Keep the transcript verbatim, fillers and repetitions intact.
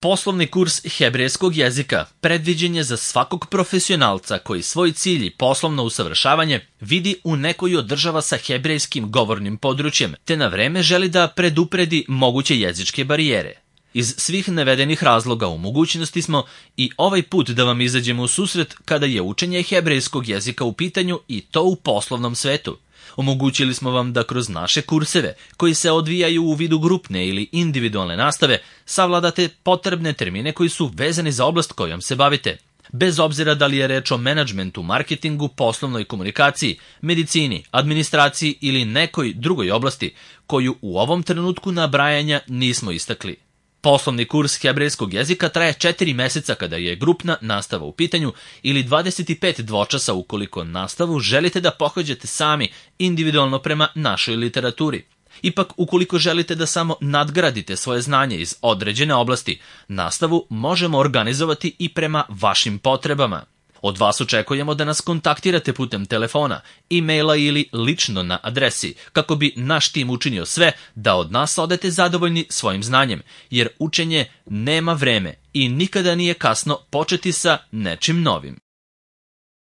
Poslovni kurs hebrejskog jezika predviđen je za svakog profesionalca koji svoj cilj i poslovno usavršavanje vidi u nekoj od država sa hebrejskim govornim područjem, te na vreme želi da predupredi moguće jezičke barijere. Iz svih navedenih razloga u mogućnosti smo i ovaj put da vam izađemo u susret kada je učenje hebrejskog jezika u pitanju i to u poslovnom svetu. Omogućili smo vam da kroz naše kurseve, koji se odvijaju u vidu grupne ili individualne nastave, savladate potrebne termine koji su vezani za oblast kojom se bavite. Bez obzira da li je reč o menadžmentu, marketingu, poslovnoj komunikaciji, medicini, administraciji ili nekoj drugoj oblasti koju u ovom trenutku nabrajanja nismo istakli. Poslovni kurs hebrejskog jezika traje četiri meseca kada je grupna nastava u pitanju ili dvadeset pet dvočasa ukoliko nastavu želite da pohađate sami individualno prema našoj literaturi. Ipak, ukoliko želite da samo nadgradite svoje znanje iz određene oblasti, nastavu možemo organizovati i prema vašim potrebama. Od vas očekujemo da nas kontaktirate putem telefona, e-maila ili lično na adresi, kako bi naš tim učinio sve da od nas odete zadovoljni svojim znanjem, jer učenje nema vreme i nikada nije kasno početi sa nečim novim.